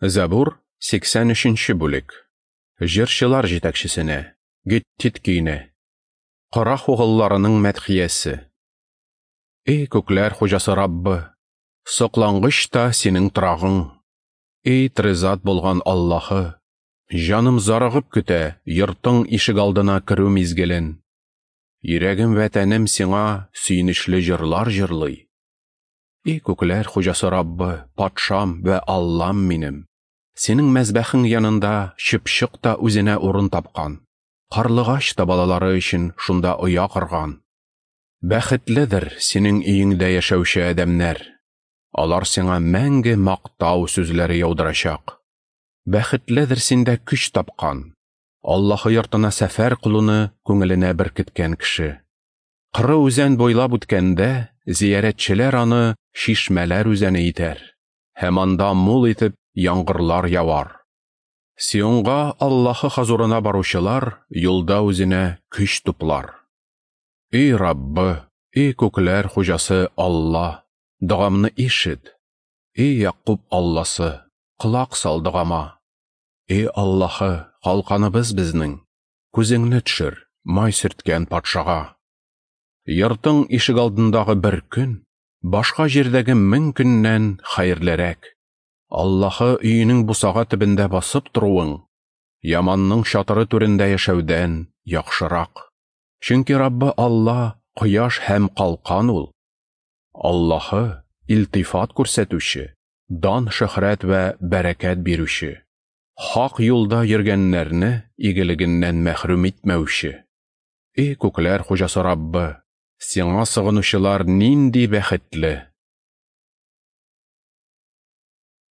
Зәбур, 83 бүлек. Җырчылар җитәкчесенә, Гиттит көенә. Корах угылларының мәдхиясе. Эй, күкләр хуҗасы Раббы, соклангыч та синең торагың. Эй, трезат булган Аллаһы, җаным зарыгып көтә йортың ишегалдына керү мизгелен. Йөрәгем вә тәнем сиңа сөенечле җырлар җырлый. Эй, күкләр хуҗасы Раббы, патшам вә Аллам минем! Синең мәзбәхең янында чыпчык та үзенә урын тапкан, карлыгач та балалары өчен шунда оя корган. Бәхетледер синең өеңдә яшәүче адәмнәр. Алар сиңа мәңге мактау сүзләре яудырачак. Бәхетледер синдә көч тапкан, Аллаһы йортына сәфәр кылуны күңеленә беркеткән кеше. Кыры үзән буйлап үткәндә, зиярәтчеләр аны чишмәләр үзәне итәр, һәм анда мул итеп яңгырлар явар. Сионга Аллаһы хозурына баручылар юлда үзенә көч туплар. Эй Раббы, эй күкләр хуҗасы Алла, догамны ишет. Эй Якуб Алласы, колак сал догама. Эй Аллаһы, калканыбыз безнең, күзеңне төшер, май сөрткән патшага. Йортың ишегалдындагы бер көн, башка җирдәге 1000 көннән хәерлерәк. Аллаһы өенең бусага төбендә басып торуың, яманның чатыры түрендә яшәүдән яхшырак. Чөнки Раббы Алла кояш һәм калкан ул. Аллаһы илтифат күрсәтүче, дан, шөһрәт вә бәрәкәт бирүче, хак юлда йөргәннәрне игелегеннән мәхрүм итмәүче. Эй күкләр хуҗасы Раббы, сиңа сыгынучылар нинди бәхетле!